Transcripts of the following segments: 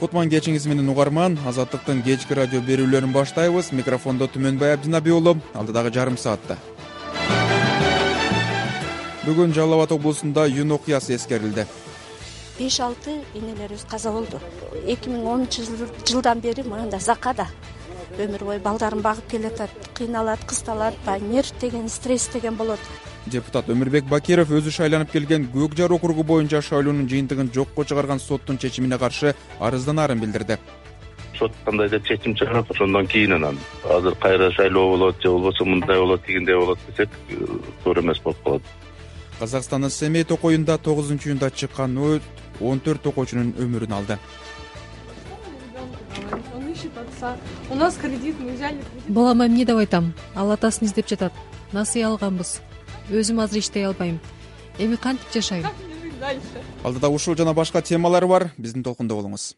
Кутман кечиңиз менен угарман. Азаттыктын кечки радио берүүлөрүн баштайбыз. Микрофондо Түмөнбай Абдинаби уулу. Алдыдагы жарым саатта. Бүгүн Жалал Абад облусунда юн окуясы эскерилди. 5-6 энелерибиз каза болду. 2010-жылдан бери мында закада өмүр бою балдарын багып келатат, кыйналат, кысталат, нерв деген, стресс деген болот. Депутат Өмүрбек Бакиров өзү шайланып келген Көк Жар округу боюнча шайлоонун жыйынтыгын жокко чыгарган соттун чечимине каршы арызданаарын билдирди. Сот кандай деп чечим чыгарат, ошондон кийин анан азыр кайра шайлоо болот же болбосо мындай болот, тигиндей болот десек, туура эмес болуп калат. Казакстандын Семей токоюнда 9-июнда чыккан өрт 14 токоочунун өмүрүн алды. У нас кредит, мы взяли кредит. Балама эмне деп айтам? Ал атасын издеп жатат. Насыя алганбыз. Өзүм азыр иштей албайм. Эми кантип жашайм? Алдыда ушул жана башка темалар бар. Биздин толкунда болуңуз.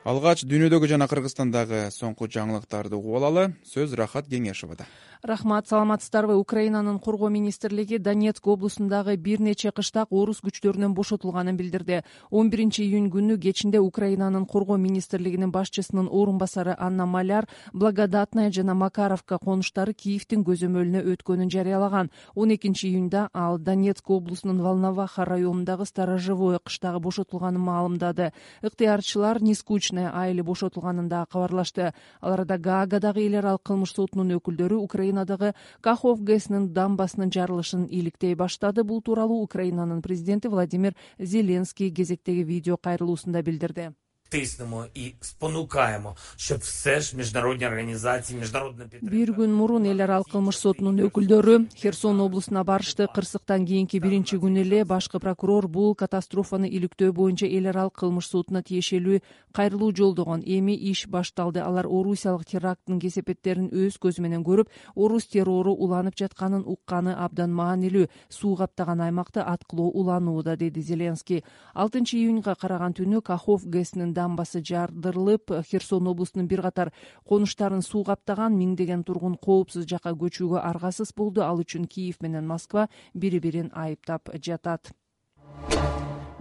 Алгач дүйнөдөгү жана Кыргызстандагы соңку жаңылыктарды угуп алалы. Сөз Рахат Кеңешевада. Рахмат, саламатсыздарбы? Украинанын коргоо министрлиги Донецк облусундагы бир нече кыштак орус күчтөрүнөн бошотулганын билдирди. 11-июнь күнү кечинде Украинанын коргоо министрлигинин башчысынын орун басары Анна Маляр Благодатная жана Макаровка конуштары Киевдин көзөмөлүнө өткөнүн жарыялаган. 12-июнда ал Донецк облусунун Волноваха районундагы Сторожевое кыштагы бошотулганын маалымдады. Ыктыярчылар Нескучная айылы бошотулганын да кабарлашты. Аларда Гаагадагы эл аралык кылмыш сотунун өкүлдөрү Украинадагы Кахов ГЭСнин дамбасынын жарылышын иликтей баштады. Бул тууралуу Украинанын президенти Владимир Зеленский кезектеги видео кайрылуусунда билдирди. Тиснемо и спонукаемо, щоб все ж міжнародні організації, міжнародна підтримка. Бир күн мурун эл аралык кылмыш сотунун өкүлдөрү Херсон облусуна барышты. Кырсыктан кийинки биринчи күнү эле башкы прокурор бул катастрофаны иликтөө боюнча эл аралык кылмыш сотуна тиешелүү кайрылуу жолдогон. Эми иш башталды. Алар орусиялык теракттын кесепеттерин өз көзү менен көрүп, орус террору уланып жатканын укканы абдан маанилүү. Суу каптаган аймакты аткылоо уланууда, деди Зеленский. 6-июнга караган түнү Кахов ГЭСнин дамбасы жардырылып, Херсон облусунун бир катар конуштарын суу каптаган, миңдеген тургун коопсуз жакка көчүүгө аргасыз болду. Ал үчүн Киев менен Москва бири-бирин айыптап жатат.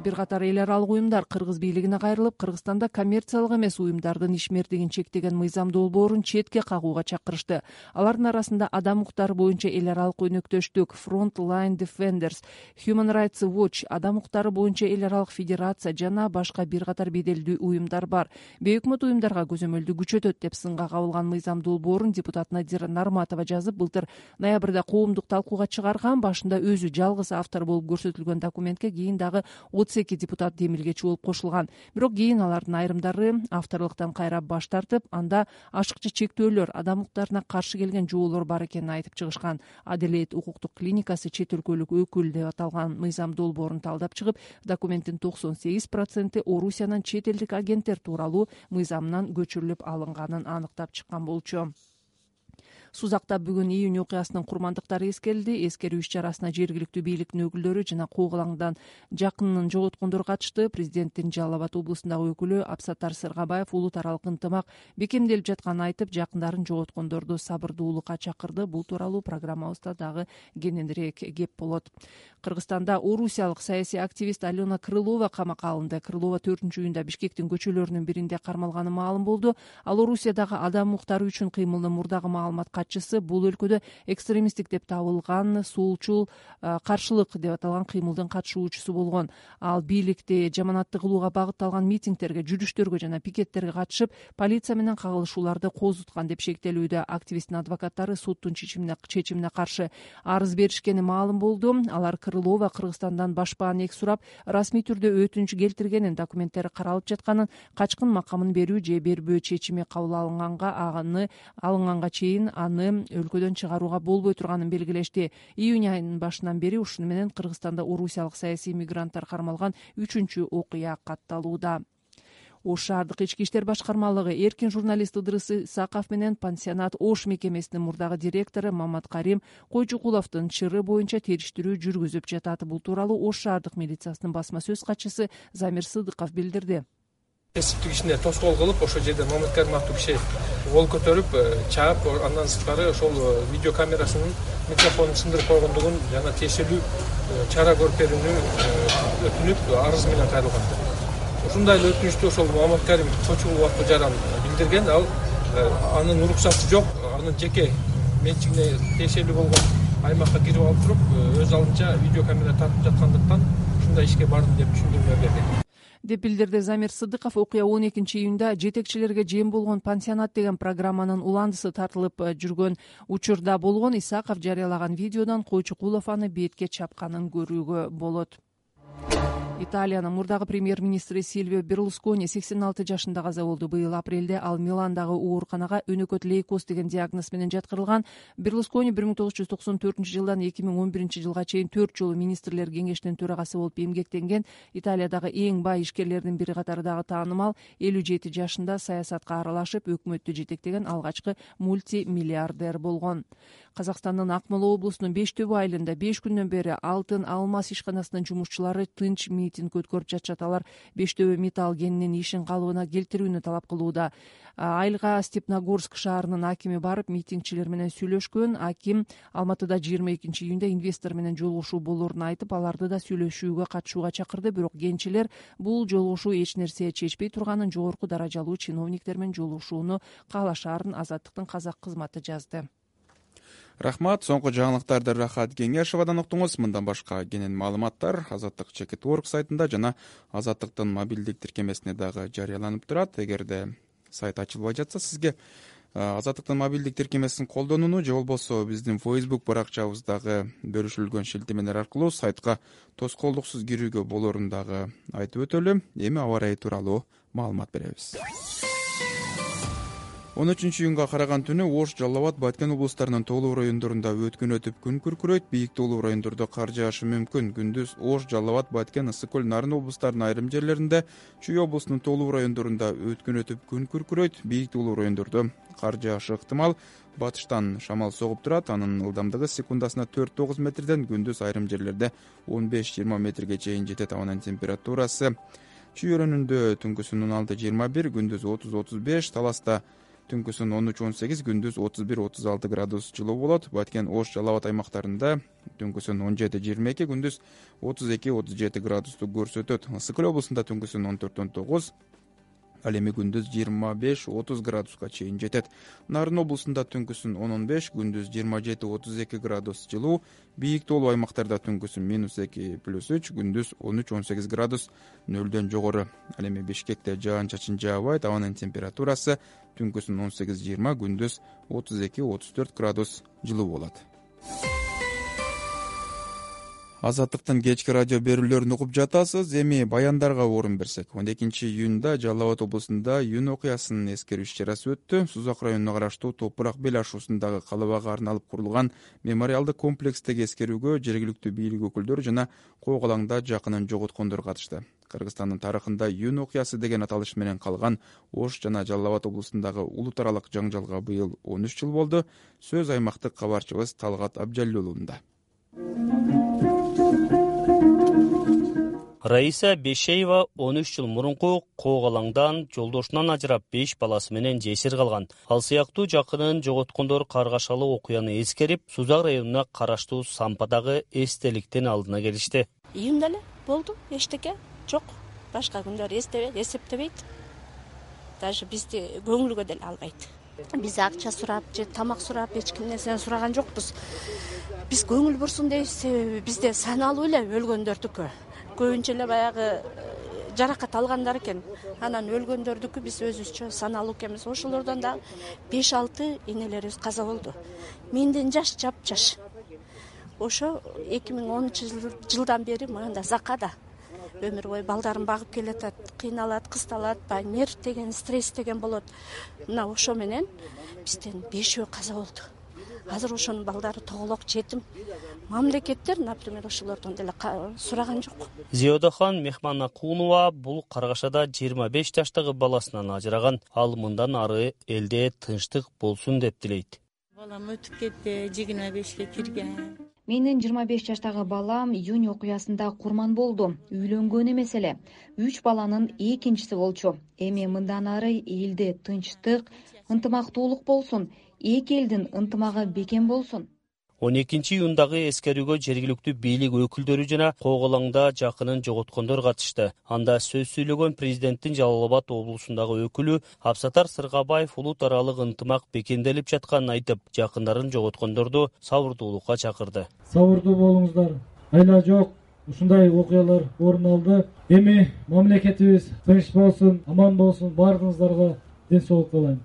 Бир катар эл аралык уюмдар кыргыз бийлигине кайрылып, Кыргызстанда коммерциялык эмес уюмдардын ишмердигин чектеген мыйзам долбоорун четке кагууга чакырышты. Алардын арасында адам укуктары боюнча эл аралык өнөктөштүк Frontline Defenders, Human Rights Watch, адам укуктары боюнча эл аралык федерация жана башка бир катар беделдүү уюмдар бар. Бейөкмөт уюмдарга көзөмөлдү күчөтөт деп сынга кабылган мыйзам долбоорун депутат Надира Нарматова жазып, былтыр ноябрда коомдук талкууга чыгарган. Башында өзү жалгыз автор болуп көрсөтүлгөн документке кийин дагы 32 депутат демилгечи болуп кошулган. Бирок кийин алардын айрымдары авторлуктан кайра баш тартып, анда ашыкча чектөөлөр, адам укуктарына каршы келген жоолор бар экенин айтып чыгышкан. Аделет укуктук клиникасы чет өлкөлүк өкүл деп аталган мыйзам долбоорун талдап чыгып, документтин 98% Орусиянын чет элдик агенттер тууралуу мыйзамынан көчүрүлүп алынганын аныктап чыккан болчу. Сузакта бүгүн июнь окуясынын курмандыктары эскерилди. Эскерүү иш-чарасына жергиликтүү бийликтин өкүлдөрү жана Куугалаңдан жакынын жоготкондор катышты. Президенттин Жалал Абад облусундагы өкүлү Абсаттар Сыргабаев улут аралык ынтымак бекемделип жатканын айтып, жакындарын жоготкондорду сабырдуулукка чакырды. Бул тууралуу программабызда дагы кененирээк кеп болот. Кыргызстанда орусиялык саясий активист Алена Крылова камакка алынды. Крылова 4-июнда Бишкектин көчөлөрүнүн биринде кармалганы маалым болду. Ал Орусиядагы адам укуктары үчүн кыймылдын мурдагы маалымат катчысы, бул өлкөдө экстремисттик деп табылган солчул каршылык деп аталган кыймылдын катышуучусу болгон. Ал бийликти жаманатты кылууга багытталган митингтерге, жүрүштөргө жана пикеттерге катышып, полиция менен кагылышууларды козуткан деп шектелүүдө. Активисттин адвокаттары соттун чечимине каршы арыз беришкени маалым болду. Алар Крылова Кыргызстандан башпаанек сурап, расмий түрдө өтүнүч келтиргенин, документтери каралып жатканын, качкын макамын берүү же бербөө чечими кабыл алынганга чейин аны өлкөдөн чыгарууга болбой турганын белгилешти. Июнь айынын башынан бери ушуну менен Кыргызстанда орусиялык саясий мигранттар кармалган 3-чү окуя катталууда. Ош шаардык ички иштер башкармалыгы эркин журналист Ыдырыс Исаков менен пансионат Ош мекемесинин мурдагы директору Мамат Карим Койчукуловдун чыры боюнча териштирүү жүргүзүп жатат. Бул тууралуу Ош шаардык милициясынын басма сөз катчысы Замир Сыдыков билдирди. кесиптик ишине тоскоол кылып ошол жерде Маматкарим аттуу киши кол көтөрүп чаап, андан сырткары ошол видео камерасынын микрофонун сындырып койгондугун жана тиешелүү чара көрүп берүүнү өтүнүп арыз менен кайрылган. Ушундай эле өтүнүчтү ошол Маматкарим Кочубулов аттуу жаран билдирген. Ал анын уруксаты жок, анын жеке менчигине тиешелүү болгон аймакка кирип алып туруп, өз алдынча видео камера тартып жаткандыктан ушундай ишке бардым деп түшүндүрмө берген. деп билдирди Замир Сыдыков. Окуя 12-июнда жетекчилерге жем болгон пансионат деген программанын уландысы тартылып жүргөн учурда болгон. Исаков жарыялаган видеодон Койчукулов аны бетке чапканын көрүүгө болот. Италиянын мурдагы премьер-министри Сильвио Берлускони 86 жашында каза болду. Быйыл апрелде ал Миландагы ооруканага өнөкөт лейкоз деген диагноз менен жаткырылган. Берлускони 1994-жылдан 2011-жылга чейин 4 жолу министрлер кеңешинин төрагасы болуп эмгектенген. Италиядагы эң бай ишкерлердин бири катарындагы таанымал 57 жашында саясатка аралашып, өкмөттү жетектеген алгачкы мультимиллиардер болгон. Казакстандын Акмола облусунун Бештөбү айылында 5 күндөн бери Алтын Алмаз ишканасынын жумушчулары тынч митинг өткөрүп жатышат. Алар Бештөбү металл кенинин ишин калыбына келтирүүнү талап кылууда. Айылга Степногорск шаарынын акими барып, митингчилер менен сүйлөшкөн. Аким Алматыда 22-июнда инвестор менен жолугушуу болоорун айтып, аларды да сүйлөшүүгө катышууга чакырды. Бирок кенчилер бул жолугушуу эч нерсе чечпей турганын, жогорку даражалуу чиновниктер менен жолугушууну каалашаарын Азаттыктын казак кызматы жазды. Рахмат. Соңку жаңылыктарды Рахат Кеңешевадан уктуңуз. Мындан башка кенен маалыматтар Азаттык Чекит.org сайтында жана Азаттыктын мобилдик тиркемесине дагы жарыяланып турат. Эгерде сайт ачылбай жатса, сизге Азаттыктын мобилдик тиркемесин колдонууну же болбосо биздин Facebook баракчабыздагы бөлүшүлгөн шилтемелер аркылуу сайтка тоскоолдуксуз кирүүгө болоорун дагы айтып өтөлү. Эми аба ырайы тууралуу маалымат беребиз. 13-июнга караган түнү Ош, Жалал Абад, Баткен облустарынын тоолуу райондорунда өткүн өтүп күн күркүрөйт. Бийик тоолуу райондордо кар жаашы мүмкүн. Күндүз Ош, Жалал Абад, Баткен, Ысык көл, Нарын облустарынын айрым жерлеринде, Чүй облусунун тоолуу райондорунда өткүн өтүп күн күркүрөйт. Бийик тоолуу райондордо кар жаашы ыктымал. Батыштан шамал согуп турат. Анын ылдамдыгы секундасына 4-9 метрден, күндүз айрым жерлерде 15-20 метрге чейин жетет. Абанын температурасы Чүй өрөөнүндө түнкүсүн 16-21, күндүз 30-35, Таласта түнкүсүн 13-18, күндүз 31-36 градус жылуу болот. Баткен, Ош, Жалал Абад аймактарында түнкүсүн 17-22, күндүз 32-37 градусту көрсөтөт. Ысык көл облусунда түнкүсүн 14-19, ал эми күндүз 25-30 градуска чейин жетет. Нарын облусунда түнкүсүн 10-15, күндүз 27-32 градус жылуу. Бийик тоолуу аймактарда түнкүсүн -2+3, күндүз 13-18 градус нөлдөн жогору. Ал эми Бишкекте жаан-чачын жаабайт. Абанын температурасы түнкүсүн 18-20, күндүз 32-34 градус жылуу болот. Азаттыктын кечки радио берүүлөрүн угуп жатасыз. Эми баяндарга орун берсек. 12-июнда Жалал Абад облусунда июнь окуясынын эскерүү иш-чарасы өттү. Сузак районуна караштуу Топурак бел ашуусундагы калыбага арналып курулган мемориалдык комплекстеги эскерүүгө жергиликтүү бийлик өкүлдөрү жана Коогалаңда жакынын жоготкондор катышты. Кыргызстандын тарыхында июнь окуясы деген аталыш менен калган Ош жана Жалал Абад облусундагы улут аралык жаңжалга быйыл 13 жыл болду. Сөз аймактык кабарчыбыз Талгат Абжалилулунда. Раиса Бешеева 13 жыл мурунку Коогалаңдан жолдошунан ажырап 5 баласы менен жесир калган. Ал сыяктуу жакынын жоготкондор каргашалуу окуяны эскерип, Сузак районуна караштуу Сампадагы эстеликтин алдына келишти. Июнда эле болду, эчтеке жок. Башка күндөр эсептебейт. Даже бизди көңүлгө деле албайт. Биз акча сурап же тамак сурап эч кимден сураган жокпуз. Биз көңүл бурсун дейбиз, себеби бизде саналуу эле өлгөндөрдүкү. Көбүнчө эле баягы жаракат алгандар экен. Анан өлгөндөрдүкү биз өзүбүзчө саналуу экенбиз. Ошолордон да 5-6 энелерибиз каза болду. Менден жаш жапжаш. Ошо 2010-жылдан бери мында Закада өмүр бою балдарын багып келатат, кыйналат, кысталат, нерв деген, стресс деген болот. Мына ошо менен бизден 5 каза болду. Азыр ошонун балдары тоголок, жетим. Мамлекеттер, например, ошолордон деле сураган жок. Зиодахан Мехманакунова бул каргашада 25 жаштагы баласынан ажыраган. Ал мындан ары элде тынчтык болсун деп тилейт. Балам өтүп кетти, 25-ке кирген. Менин 25 жаштагы балам июнь окуясында курман болду. Үйлөнгөн эмес эле. 3 баланын экинчиси болчу. Эми мындан ары элде тынчтык, ынтымактуулук болсун. Эки элдин ынтымагы бекем болсун. 12-июндагы эскерүүгө жергиликтүү бийлик өкүлдөрү жана Коогалаңда жакынын жоготкондор катышты. Анда сөз сүйлөгөн президенттин Жалал Абад облусундагы өкүлү Абсатар Сыргабаев улут аралык ынтымак бекемделип жатканын айтып, жакындарын жоготкондорду сабырдуулукка чакырды. Сабырдуу болуңуздар. Айла жок. Ушундай окуялар орун алды. Эми мамлекетибиз тынч болсун, аман болсун, баарыңыздарга ден соолук каалайм.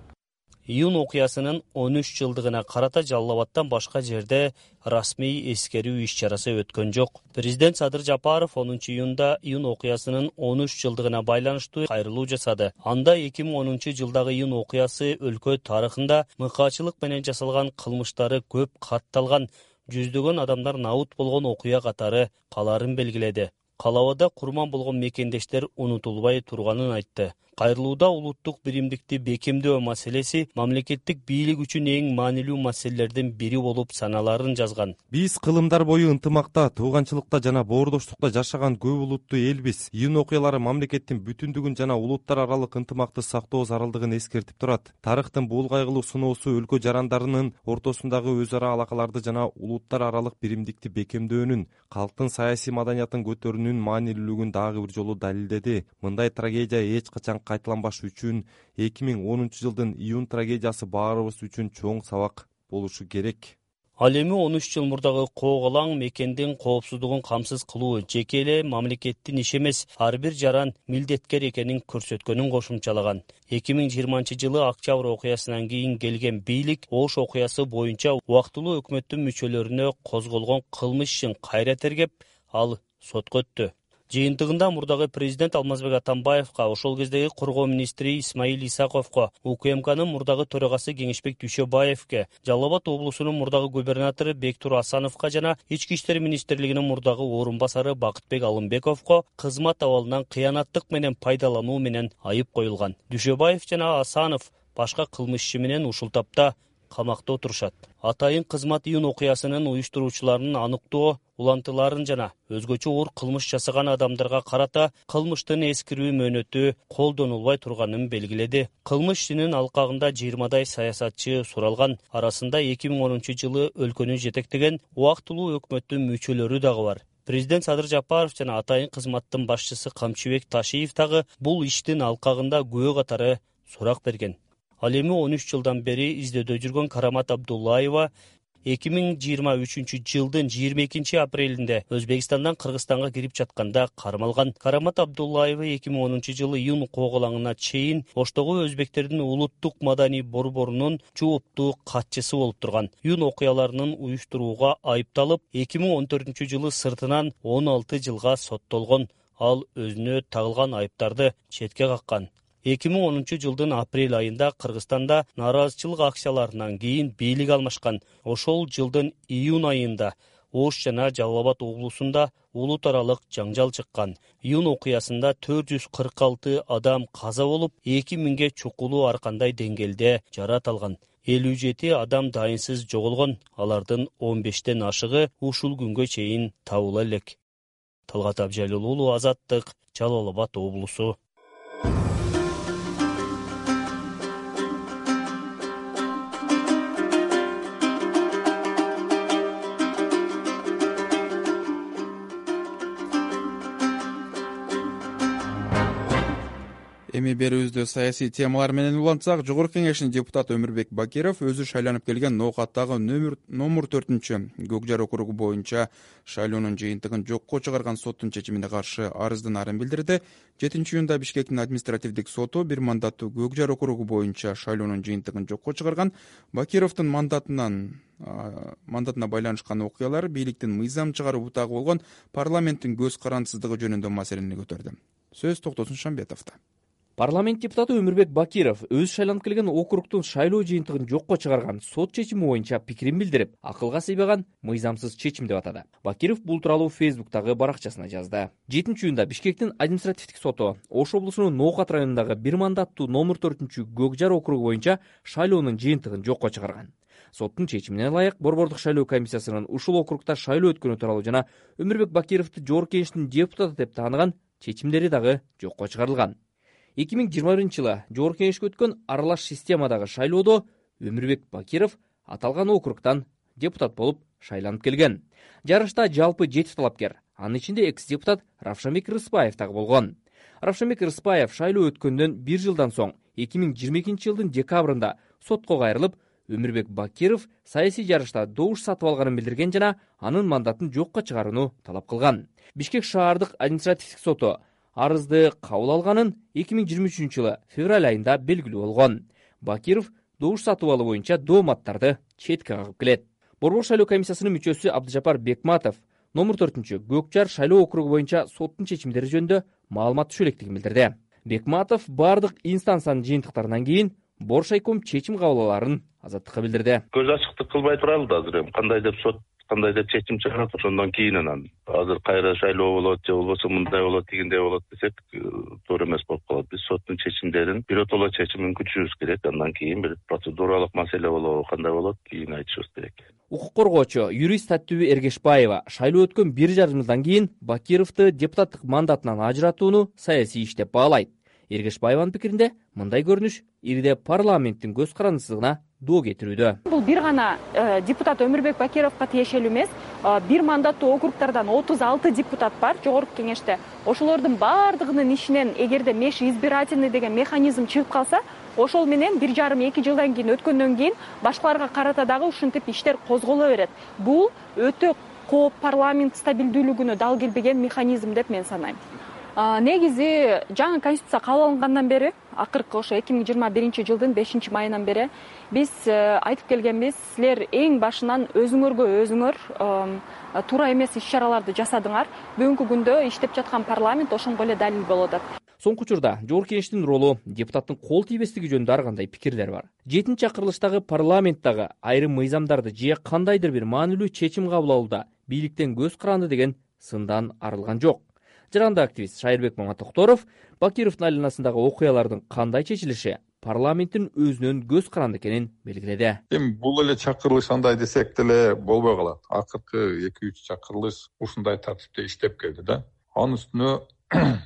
Июнь окуясынын 13 жылдыгына карата Жалал Абадтан башка жерде расмий эскерүү иш-чарасы өткөн жок. Президент Садыр Жапаров 10-июнда июнь окуясынын 13 жылдыгына байланыштуу кайрылуу жасады. Анда 2010 жылдагы июнь окуясы өлкө тарыхында мыкаачылык менен жасалган кылмыштары көп катталган, жүздөгөн адамдар набут болгон окуя катары калаарын белгиледи. Калабада курман болгон мекендештер унутулбай турганын айтты. Кайрылууда улуттук биримдикти бекемдөө маселеси мамлекеттик бийлик үчүн эң маанилүү маселелердин бири болуп саналарын жазган. Биз кылымдар бою ынтымакта, тууганчылыкта жана боордоштукта жашаган көп улуттуу элбиз. Июнь окуялары мамлекеттин бүтүндүгүн жана улуттар аралык ынтымакты сактоо зарылдыгын эскертип турат. Тарыхтын бул кайгылуу сыноосу өлкө жарандарынын ортосундагы өз ара алакаларды жана улуттар аралык биримдикти бекемдөөнүн, калктын саясий маданиятын көтөрүүнүн маанилүүлүгүн дагы бир жолу далилдеди. Мындай трагедия эч качан кайталанбаш үчүн 2010 жылдын июнь трагедиясы баарыбыз үчүн чоң сабак болушу керек. Ал эми 13 жыл мурдагы Коогалаң мекендин коопсуздугун камсыз кылуу жеке эле мамлекеттин иши эмес, ар бир жаран милдеткер экенин көрсөткөнүн кошумчалаган. 2020 жылы октябрь окуясынан кийин келген бийлик Ош окуясы боюнча убактылуу өкмөттүн мүчөлөрүнө козголгон кылмыш ишин кайра тергеп, ал сотко өттү. Жыйынтыгында мурдагы президент Алмазбек Атамбаевка, ошол кездеги коргоо министри Исмаил Исаковго, УКМКнын мурдагы төрагасы Кеңешбек Дүйшөбаевке, Жалал Абад облусунун мурдагы губернатору Бектур Асановго жана Ички иштер министрлигинин мурдагы орун басары Бакытбек Алымбековго кызмат абалынан кыянаттык менен пайдалануу менен айып коюлган. Дүйшөбаев жана Асанов башка кылмыш иши менен ушул тапта камакта отурушат. Атайын кызмат июнь окуясынын уюштуруучуларынын аныктоо, улантыларын жана өзгөчө оор кылмыш жасаган адамдарга карата кылмыштын эскирүү мөөнөтү колдонулбай турганын белгиледи. Кылмыш ишинин алкагында 20дай саясатчы суралган. Арасында 2010 жылы өлкөнү жетектеген убактылуу өкмөттүн мүчөлөрү дагы бар. Президент Садыр Жапаров жана атайын кызматтын башчысы Камчыбек Ташиев дагы бул иштин алкагында күбө катары сурак берген. Ал эми 13 жылдан бери издөөдө жүргөн Карамат Абдуллаева 2023 жылдын 22 апрелинде Өзбекстандан Кыргызстанга кирип жатканда кармалган. Карамат Абдуллаева 2010 жылы июнь Коогалаңына чейин Оштогу өзбектердин улуттук маданий борборунун жооптуу катчысы болуп турган. Июнь окуяларынын уюштурууга айыпталып, 2014 жылы сыртынан 16 жылга соттолгон. Ал өзүнө тагылган айыптарды четке каккан. 2010 жылдын апрель айында Кыргызстанда нааразычылык акцияларынан кийин бийлик алмашкан. Ошол жылдын июнь айында Ош жана Жалал Абад облусунда улут аралык жаңжал чыккан. Июнь окуясында 446 адам каза болуп, 2000ге чукулуу ар кандай деңгээлде жарат алган. 57 адам дайынсыз жоголгон. Алардын 15тен ашыгы ушул күнгө чейин табыла элек. Талгат Абжалил уулу, Азаттык, Жалал Абад облусу. Эми берүүбүздө саясий темалар менен улантсак, Жогорку Кеңештин депутаты Өмүрбек Бакиров өзү шайланып келген Ноокаттагы номер 4-Көкжар округу боюнча шайлоонун жыйынтыгын жокко чыгарган соттун чечимине каршы арыздын билдирди. 7-июнда Бишкектин административдик соту бир мандаттуу Көкжар округу боюнча шайлоонун жыйынтыгын жокко чыгарган. Бакировдун мандатына байланышкан окуялар бийликтин мыйзам чыгаруу бутагы болгон парламенттин көз карандысыздыгы жөнүндө маселени көтөрдү. Сөз Токтосун Шамбетовдо. Парламент депутаты Өмүрбек Бакиров өзү шайланып келген округтун шайлоо жыйынтыгын жокко чыгарган сот чечими боюнча пикирин билдирип, акылга сыйбаган мыйзамсыз чечим деп атады. Бакиров бул тууралуу Фейсбуктагы баракчасына жазды. 7-июнда Бишкектин административдик соту Ош облусунун Ноокат районундагы бир мандаттуу номер 4-Көкжар округу боюнча шайлоонун жыйынтыгын жокко чыгарган. Соттун чечимине ылайык Борбордук шайлоо комиссиясынын ушул округда шайлоо өткөнү тууралуу жана Өмүрбек Бакировду Жогорку Кеңештин депутаты деп тааныган чечимдери дагы жокко чыгарылган. 2021-жылы Жогорку Кеңешке өткөн аралаш системадагы шайлоодо Өмүрбек Бакиров аталган округдан депутат болуп шайланып келген. Жарышта жалпы 7 талапкер, анын ичинде экс-депутат Равшанбек Рыспаев дагы болгон. Равшанбек Рыспаев шайлоо өткөндөн 1 жылдан соң 2022-жылдын декабрында сотко кайрылып, Өмүрбек Бакиров саясий жарышта добуш сатып алганын билдирген жана анын мандатын жокко чыгарууну талап кылган. Бишкек шаардык административдик соту арызды кабыл алганын 2023-жылы февраль айында белгилүү болгон. Бакиров добуш сатып алуу боюнча дооматтарды четке кагып келет. Борбор шайлоо комиссиясынын мүчөсү Абдыжапар Бекматов номер 4 Көкжар шайлоо округу боюнча соттун чечимдери жөнүндө маалымат түшө электигин билдирди. Бекматов бардык инстанциянын жыйынтыктарынан кийин Боршайком чечим кабыл аларын азаттыкка билдирди. Көз ачыктык кылбай туралы да азыр эми кандай деп сот кандай деп чечим чыгарат, ошондон кийин анан азыр кайра шайлоо болот же болбосо мындай болот, тигиндей болот десек туура эмес болуп калат. Биз соттун чечимдерин биротоло чечимин күтүшүбүз керек. Андан кийин бир процедуралык маселе болобу, кандай болот, кийин айтышыбыз керек. Укук коргоочу юрист Таттүбү Эргешбаева шайлоо өткөн 1,5 жылдан кийин Бакировду депутаттык мандатынан ажыратууну саясий иш деп баалайт. Эргешбаеванын пикиринде мындай көрүнүш ирде парламенттин көз карандысына доо кетирүүдө. Бул бир гана депутат Өмүрбек Бакировго тиешелүү эмес. Бир мандаттуу округдардан 36 депутат бар Жогорку Кеңеште. Ошолордун баардыгынын ишинен эгерде межизбирательный деген механизм чыгып калса, ошол менен 1,5-2 жылдан кийин өткөндөн кийин башкаларга карата дагы ушинтип иштер козголо берет. Бул өтө кооп парламент стабилдүүлүгүнө дал келбеген механизм деп мен санайм. Негизи жаңы конституция кабыл алынгандан бери, акыркы ошо 2021-жылдын 5-майынан бери биз айтып келгенбиз, силер эң башынан өзүңөргө өзүңөр туура эмес иш-чараларды жасадыңар. Бүгүнкү күндө иштеп жаткан парламент ошонго эле далил болуп атат. Соңку учурда Жогорку Кеңештин ролу, депутаттын кол тийбестиги жөнүндө ар кандай пикирлер бар. 7-чакырылыштагы парламенттагы айрым мыйзамдарды же кандайдыр бир маанилүү чечим кабыл алууда бийликтен көз каранды деген сындан арылган жок. Жаранды активист Шайырбек Маматокторов Бакировдун айланасындагы окуялардын кандай чечилиши парламенттин өзүнөн көз каранды экенин белгиледи. Эми бул эле чакырылыш андай десек деле болбой калат. Акыркы 2-3 чакырылыш ушундай тартипте иштеп келди да. Анын үстүнө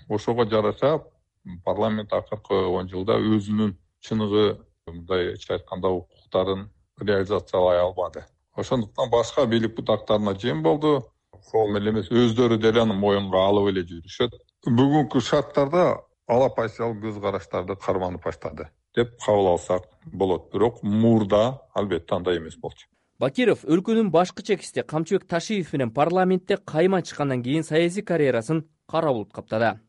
ошого жараша парламент акыркы 10 жылда өзүнүн чыныгы мындайча айтканда укуктарын реализациялай албады. Ошондуктан башка бийлик бутактарына жем болду. Ошол эле эмес, өздөрү деле аны моюнга алып эле жүрүшөт. Бүгүнкү шарттарда алапайсал көз караштарды карманып баштады деп кабыл алсак болот. Бирок мурда албетте андай эмес болчу. Бакиров өлкөнүн башкы чекисти Камчыбек Ташиев менен парламентте кайма чыккандан кийин саясий карьерасын кара булут каптады.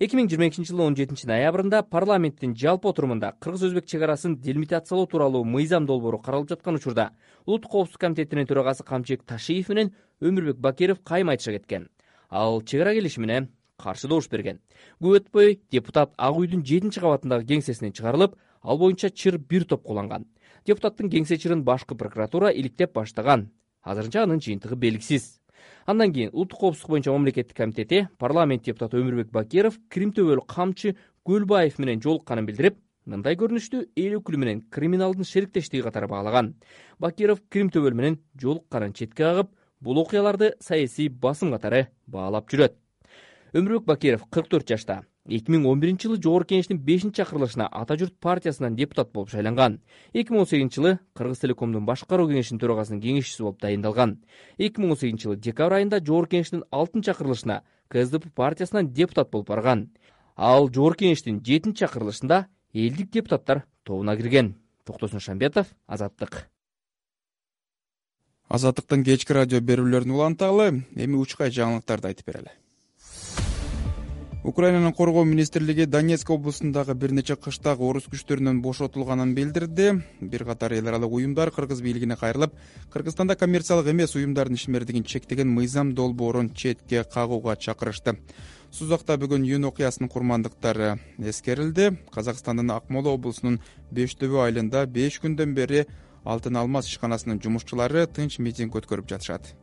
2022-жылдын 17 ноябрында парламенттин жалпы отурумунда кыргыз-өзбек чек арасын делимитациялоо тууралуу мыйзам долбоору каралып жаткан учурда Улуттук коопсуздук комитетинин төрагасы Камчыбек Ташиев менен Өмүрбек Бакиров кайма айтыша кеткен. Ал чек ара келишимине каршы добуш берген. Көп өтпөй депутат Ак үйдүн 7-кабатындагы кеңсесинен чыгарылып, ал боюнча чыр бир топ кулланган. Депутаттын кеңсе чырын башкы прокуратура иликтеп баштаган. Азырынча анын жыйынтыгы белгисиз. Андан кийин Улуттук коопсуздук боюнча мамлекеттик комитети парламент депутаты Өмүрбек Бакиров Крим төбөлүк камчы Көлбаев менен жолукканын билдирип, мындай көрүнүштү эл өкүлү менен криминалдын шериктештиги катары баалаган. Бакиров Крим төбөл менен жолукканын четке кагып, бул окуяларды саясий басым катары баалап жүрөт. Өмүрбек Бакиров 44 жашта. 2011-жылы Жогорку Кеңештин 5-чакырылышына Ата журт партиясынан депутат болуп шайланган. 2018-жылы Кыргыз Телекомдун башкаруу кеңешинин төрагасынын кеңешчиси болуп дайындалган. 2018-жылы декабрь айында Жогорку Кеңештин 6-чакырылышына КСДП партиясынан депутат болуп барган. Ал Жогорку Кеңештин 7-чакырылышында элдик депутаттар тобуна кирген. Токтосун Шамбетов, Азаттык. Азаттыктын кечки радио берүүлөрүн уланталы, эми учкай жаңылыктарды айтып берели. Украинанын коргоо министрлиги Донецк облусундагы бир нече кыштак орус күчтөрүнөн бошотулганын билдирди. Бир катар эл аралык уюмдар кыргыз бийлигине кайрылып, Кыргызстанда коммерциялык эмес уюмдардын ишмердигин чектеген мыйзам долбоорун четке кагууга чакырышты. Сузакта бүгүн июнь окуясынын курмандыктары эскерилди. Казакстандын Акмола облусунун Бештөбө айылында 5 күндөн бери Алтын Алмаз ишканасынын жумушчулары тынч митинг өткөрүп жатышат.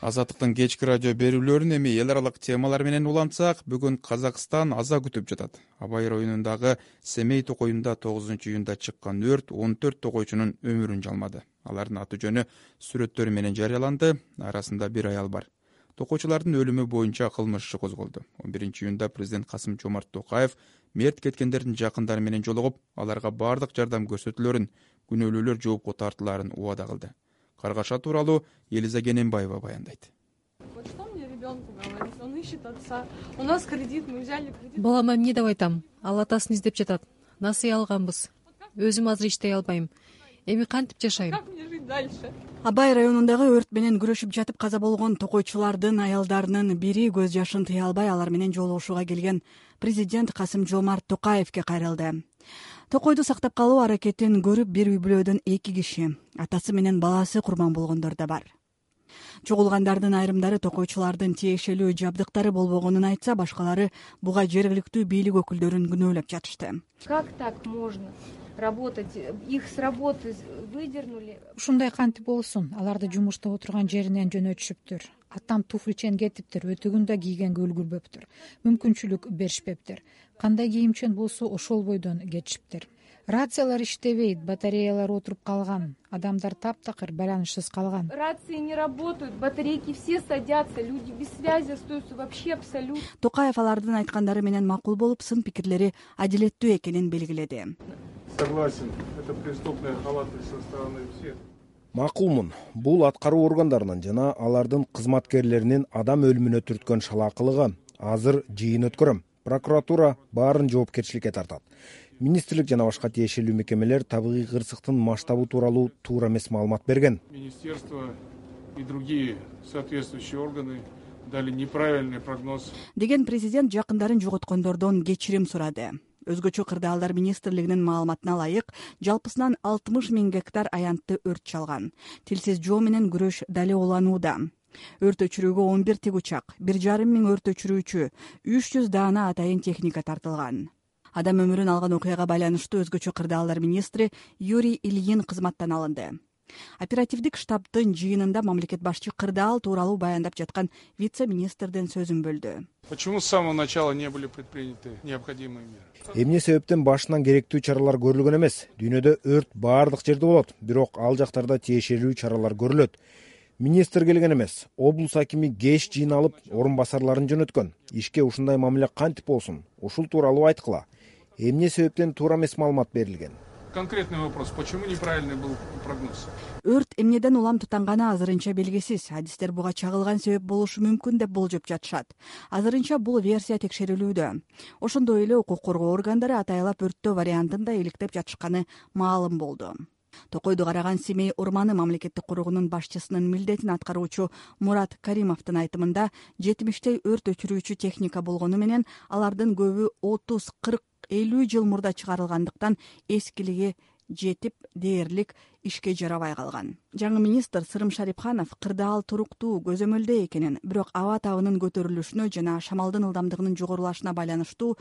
Азаттыктын кечки радио берүүлөрүн эми эл аралык темалар менен улантсак, бүгүн Казакстан аза күтүп жатат. Абай районундагы Семей токойунда 9-июнда чыккан өрт 14 токойчунун өмүрүн жалмады. Алардын аты жөнү сүрөттөрү менен жарыяланды. Арасында бир аял бар. Токойчулардын өлүмү боюнча кылмыш иши козголду. 11-июнда президент Касым-Жомарт Токаев мерт кеткендердин жакындары менен жолугуп, аларга бардык жардам көрсөтүлөрүн, күнөөлүүлөр жоопко тартылаарын убада кылды. Каргаша тууралуу Елиза Кененбаева баяндайт. Что мне ребенку говорить? Он ищет отца. У нас кредит, мы взяли кредит. Балама эмне деп айтам? Ал атасын издеп жатат. Насыя алганбыз. Өзүм азыр иштей албайм. Эми кантип жашайм? Как мне жить дальше? Абай районундагы өрт менен күрөшүп жатып каза болгон токойчулардын аялдарынын бири көз жашын тыя албай алар менен жолугушууга келген президент Касым-Жомарт Токаевке кайрылды. Токойду сактап калуу аракетин көрүп, бир үй бүлөдөн 2 киши, атасы менен баласы курман болгондор да бар. Чогулгандардын айрымдары токойчулардын тиешелүү жабдыктары болбогонун айтса, башкалары буга жергиликтүү бийлик өкүлдөрүн күнөөлөп жатышты. Как так можно работать? Их с работы выдернули. Ушундай кантип болсун? Аларды жумуштап отурган жеринен жөнөтүшүптүр. Атам туфличен кетиптир, өтөгүн да кийгенге үлгүрбөптүр. Мүмкүнчүлүк беришпептир. Кандай кийимчен болсо ошол бойдон кетишиптир. Рациялар иштебейт, батареялар отуруп калган. Адамдар таптакыр байланышсыз калган. Рации не работают, батарейки все садятся, люди без связи остаются вообще абсолютно. Токаев алардын айткандары менен макул болуп, сын пикирлери адилеттүү экенин белгиледи. Согласен, это преступная халатность со стороны всех. Макулмун. Бул аткаруу органдарынын жана алардын кызматкерлеринин адам өлүмүнө түрткөн шалаакылыгы. Азыр жыйын өткөрөм. Прокуратура баарын жоопкерчиликке тартат. Министрлик жана башка тиешелүү мекемелер табигый кырсыктын масштабы тууралуу туура эмес маалымат берген. Министерство и другие соответствующие органы дали неправильный прогноз. Деген президент жакындарын жоготкондордон кечирим сурады. Өзгөчө кырдаалдар министрлигинин маалыматына ылайык, жалпысынан 60 000 гектар аянтты өрт чалган. Тилсиз жоо менен күрөш дали уланууда. Өрт өчүрүүгө 11 тигучак, 1,5 миң өрт өчүрүүчү, 300 даана атайын техника тартылган. Адам өмүрүн алган окуяга байланыштуу өзгөчө кырдаалдар министри Юрий Ильин кызматтан алынды. Оперативдик штабтын жыйынында мамлекет башчы кырдаал тууралуу баяндап жаткан вице-министрдин сөзүн бөлдү. Почему с самого начала не были предприняты необходимые меры? Эмне себептен башынан керектүү чаралар көрүлгөн эмес? Дүйнөдө өрт баардык жерде болот, бирок ал жактарда тиешелүү чаралар көрүлөт. Министр келген эмес, облус акими кеч жыйналып, орун басарларын жөнөткөн. Ишке ушундай мамиле кантип болсун? Ушул тууралуу айткыла. Эмне себептен туура эмес маалымат берилген? Конкретный вопрос, почему неправильный был прогноз? Өрт эмнеден улам тутанганы азырынча белгисиз. Адистер буга чагылган себеп болушу мүмкүн деп болжоп жатышат. Азырынча бул версия текшерилүүдө. Ошондой эле укук коргоо органдары атайлап өрттөө вариантын да иликтеп жатышканы маалым болду. Токойду караган Семей орманы мамлекеттик куруугунун башчысынын милдетин аткаруучу Мурат Каримовдун айтымында 70 өрт өчүрүүчү техника болгону менен алардын көбү 30, 40, 50 жыл мурда чыгарылгандыктан эскилиги жетип дээрлик ишке жарабай калган. Жаңы министр Сырым Шарипханов кырдаал туруктуу көзөмөлдө экенин, бирок аба табынын көтөрүлүшүнө жана шамалдын ылдамдыгынын жогорулашына байланыштуу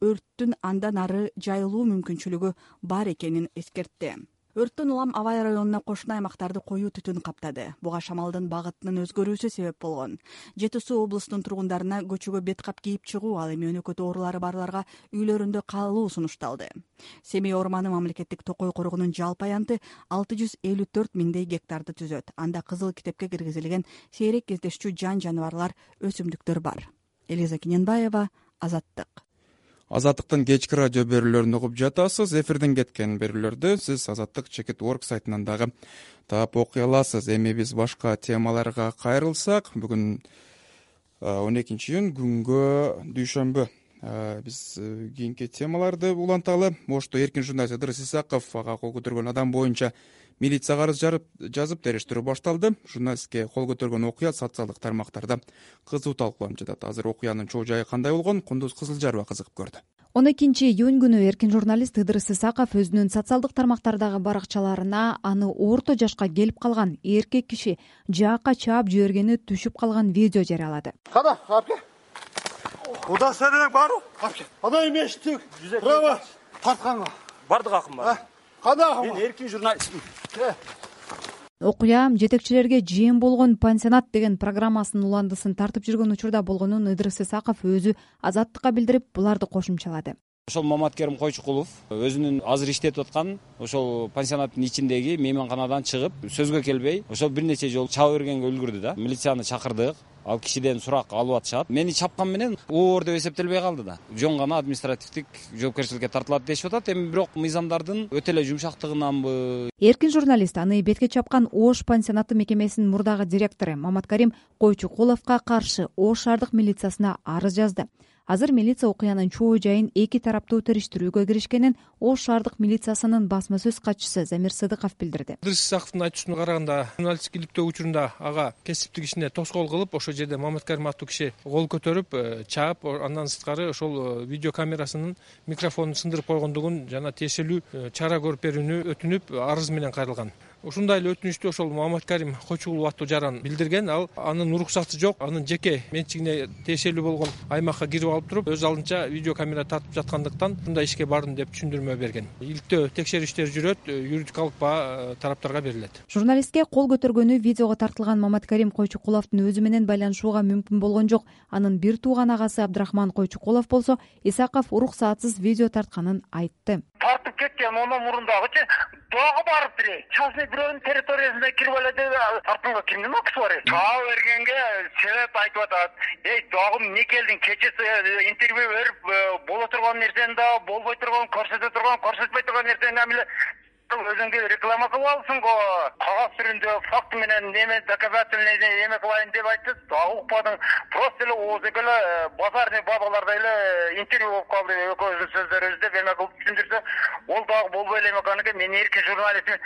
өрттүн андан ары жайылуу мүмкүнчүлүгү бар экенин эскертти. Өрттөн улам Абай районуна кошуна аймактарды коюу түтүн каптады. Буга шамалдын багытынын өзгөрүүсү себеп болгон. Жети Суу облусунун тургундарына көчөгө бет кап кийип чыгуу, ал эми өнөкөт оорулары барларга үйлөрүндө калуу сунушталды. Семей орманы мамлекеттик токой коргоонун жалпы аянты 654 миңдей гектарды түзөт. Анда кызыл китепке киргизилген сейрек кездешчү жан-жаныбарлар, өсүмдүктөр бар. Елиза Кененбаева, Азаттык. Азаттыктын кечки радио берүүлөрүн угуп жатасыз. Эфирден кеткен берүүлөрдү сиз azattik.org сайтынан дагы таап окуй аласыз. Эми биз башка темаларга кайрылсак, бүгүн 12-июнь күнгө дүйшөмбү. Биз кийинки темаларды уланталы. Ошто эркин журналист Ыдырыс Исаков ага кол көтөргөн адам боюнча милицияга арыз жазып териштирүү башталды. Журналистке кол көтөргөн окуя социалдык тармактарда кызуу талкууланып жатат. Азыр окуянын чоо жайы кандай болгон? Кундуз Кызылжарова кызыгып көрдү. 12-июнь күнү эркин журналист Ыдырыс Исаков өзүнүн социалдык тармактардагы баракчаларына аны орто жашка келип калган эркек киши жаакка чаап жибергени түшүп калган видео жарыялады. Када, апке. Куда сенен бару? Апке. Ана эмештик. Права тартканга. Бардык акым бар. Када акым? Мен эркин журналистмин. окуя жетекчилерге жем болгон пансионат деген программасынын уландысын тартып жүргөн учурда болгонун Ыдырыс Исаков өзү Азаттыкка билдирип, буларды кошумчалады. Ошол Маматкерим Койчукулов өзүнүн азыр иштетип аткан ошол пансионаттын ичиндеги мейманканадан чыгып, сөзгө келбей, ошол бир нече жолу чаба бергенге үлгүрдү да. Милицияны чакырдык. Ал кишиден сурак алып атышат. Мени чапкан менен оор деп эсептелбей калды да. Жөн гана административдик жоопкерчиликке тартылат дешип атат. Эми бирок мыйзамдардын өтө эле жумшактыгынанбы? Эркин журналист аны бетке чапкан Ош пансионаты мекемесинин мурдагы директору Маматкерим Койчукуловго каршы Ош шаардык милициясына арыз жазды. Азыр милиция окуянын чоо жайын эки тараптуу териштирүүгө киришкенин Ош шаардык милициясынын басма сөз катчысы Замир Сыдыков билдирди. Ыдырыс Исаковдун айтуусуна караганда, журналисттик иликтөө учурунда ага кесиптик ишине тоскоол кылып, ошол жерде Маматкерим аттуу киши кол көтөрүп, чаап, андан сырткары ошол видео камерасынын микрофонун сындырып койгондугун жана тиешелүү чара көрүп берүүнү өтүнүп, арыз менен кайрылган. Ушундай эле өтүнүштү ошол Маматкерим Койчукулов аттуу жаран билдирген. Ал анын уруксаты жок, анын жеке менчигине тиешелүү болгон аймакка кирип алып туруп, өз алдынча видео камера тартып жаткандыктан мындай ишке бардым деп түшүндүрмө берген. Иликтөө текшерүү иштери жүрөт, юридикалык баа тараптарга берилет. Журналистке кол көтөргөнү видеого тартылган Маматкерим Койчукуловдун өзү менен байланышууга мүмкүн болгон жок. Анын бир тууган агасы Абдрахман Койчукулов болсо Исаков уруксатсыз видео тартканын айтты. Тартып кеткен ондан мурундагычы дагы барып берейин. Частный бирөөнүн территориясына кирип эле деп тартууга кимдин акысы бар? Чаа бергенге себеп айтып атат. Дагы эмне келдиң? Кечээ интервью берип боло турган нерсени да болбой турган, көрсөтпөй турган нерсени амиле өзүңдү реклама кылып алсың го. Кагаз түрүндө факт менен неме доказательный неме кылайын деп айтты. Дагы укпадың. Просто эле ооз экеле базарный бабалардай эле интервью болуп калды. Экөөбүздүн сөздөрүбүздү деп эме кылып түшүндүрсө, ол дагы болбой эле эмеканыкы мен эркин журналистмин.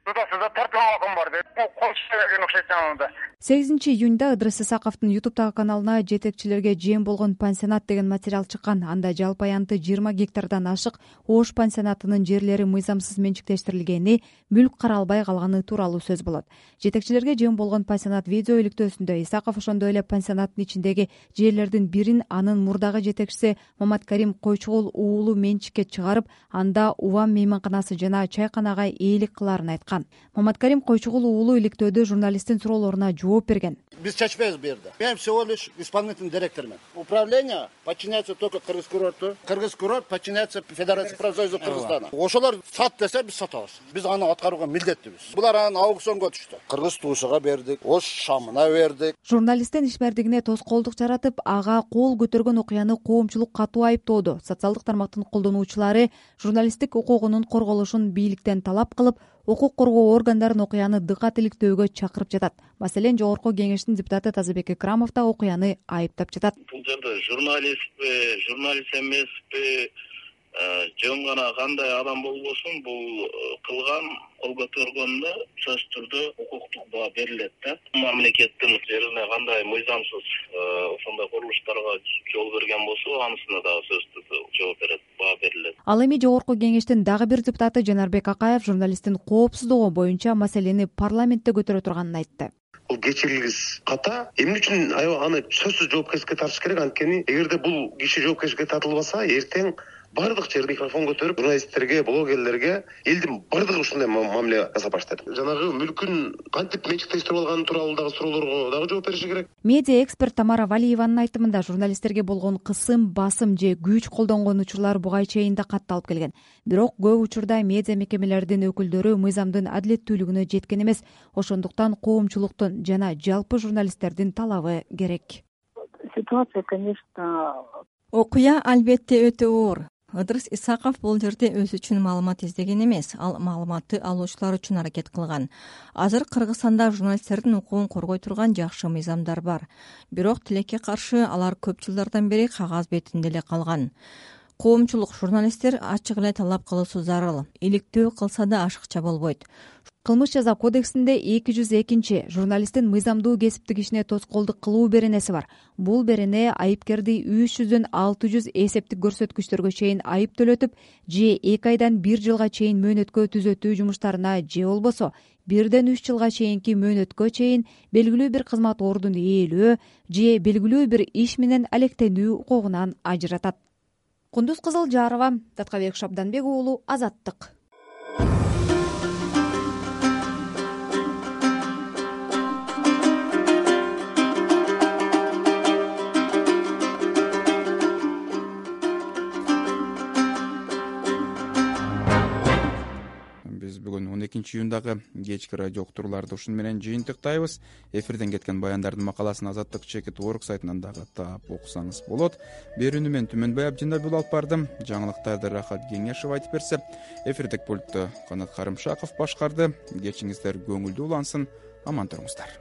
Тутасызда тартылган акым бар деп койшуп окшойт анда. 8 июнда Ыдырыс Исаковдун YouTube'дагы каналына жетекчилерге жем болгон пансионат деген материал чыккан. Анда жалпы аянты 20 гектардан ашык Ош пансионатынын жерлери мыйзамсыз менчиктештирилгени, мүлк каралбай калганы тууралуу сөз болот. Жетекчилерге жем болгон пансионат видео иликтөөсүндө Исаков ошондой эле пансионаттын ичиндеги жерлердин бирин анын мурдагы жетекчиси Маматкерим Койчукул уулу менчикке чыгарып, анда Увам мейманканасы жана чайканага ээлик кылаарын айткан. Маматкерим Койчукул уулу иликтөөдө журналисттин суроолоруна жооп берген. Biz чечпейбиз бу жерде. Мен всего лишь исполнительный директормун. Управление подчиняется только Кыргыз курорту. Кыргыз курорт подчиняется Федерации профсоюза Кыргызстана. Ошолор сат десе биз сатабыз. Биз аны аткарууга милдеттибиз. Булар анан аукционго түштү. Кыргыз туушуга бердик, Ош шамына бердик. Журналисттин ишмердигине тоскоолдук жаратып, ага кол көтөргөн окуяны коомчулук катуу айыптоодо. Социалдык тармактын колдонуучулары журналисттик укугунун корголушун бийликтен талап кылып, укук коргоо органдарын окуяны дыкат иликтөөгө чакырып жатат. Маселен, Жогорку кеңештин депутаты Тазабек Экрамов да окуяны айыптап жатат. Бул жерде журналист эмеспи, жөн гана кандай адам болбосун, бул кылган, кол көтөргөндө сөзсүз түрдө укуктук баа берилет да. Мамлекеттин жерине кандай мыйзамсыз ошондой курулуштарга жол берген болсо, анысына дагы сөзсүз жооп берет, баа берилет. Ал эми Жогорку кеңештин дагы бир депутаты Жанарбек Акаев журналисттин коопсуздугу боюнча маселени парламентте көтөрө турганын айтты. Бул кечирилгис ката. Эмне үчүн аны сөзсүз жоопкерчиликке тартыш керек? Анткени эгерде бул киши жоопкерчиликке тартылбаса, эртең бардык жерде микрофон көтөрүп, журналисттерге, блогерлерге элдин бардыгы ушундай мамиле жасап баштады. Жанагы мүлкүн кантип менчиктештирип алганы тууралуу дагы суроолорго дагы жооп бериши керек. Медиа эксперт Тамара Валиеванын айтымында журналисттерге болгон кысым, басым же күч колдонгон учурлар буга чейин да катталып келген. Бирок көп учурда медиа мекемелердин өкүлдөрү мыйзамдын адилеттүүлүгүнө жеткен эмес. Ошондуктан коомчулуктун жана жалпы журналисттердин талабы керек. Ситуация, конечно, окуя албетте өтө оор. Ыдырыс Исаков бул жерде өзү үчүн маалымат издеген эмес, ал маалыматты алуучулар үчүн аракет кылган. Азыр Кыргызстанда журналисттердин укугун коргой турган жакшы мыйзамдар бар. Бирок тилекке каршы алар көп жылдардан бери кагаз бетинде эле калган. Коомчулук, журналисттер ачык эле талап кылуусу зарыл. Иликтөө кылса да ашыкча болбойт. Кылмыш жаза кодексинде 202 журналисттин мыйзамдуу кесиптик ишине тоскоолдук кылуу беренеси бар. Бул берене айыпкерди 300дөн 600 эсептик көрсөткүчтөргө чейин айып төлөтүп, же 2 айдан 1 жылга чейин мөөнөткө түзөтүү жумуштарына, же болбосо 1ден 3 жылга чейинки мөөнөткө чейин белгилүү бир кызмат ордун ээлөө же белгилүү бир иш менен алектенүү укугунан ажыратат. Кундуз Кызылжарова, Таткабек Шабданбек уулу, Азаттык. июндагы кечки радио уктурууларды ушуну менен жыйынтыктайбыз. Эфирден кеткен баяндардын макаласын Азаттык ЧК.org сайтынан дагы таап окусаңыз болот. Берүүнү мен Түмөнбай Абдинабил алып бардым. Жаңылыктарды Рахат Кеңешов айтып берсе, эфирдик пультту Канат Карымшаков башкарды. Кечиңиздер көңүлдүү улансын, аман туруңуздар.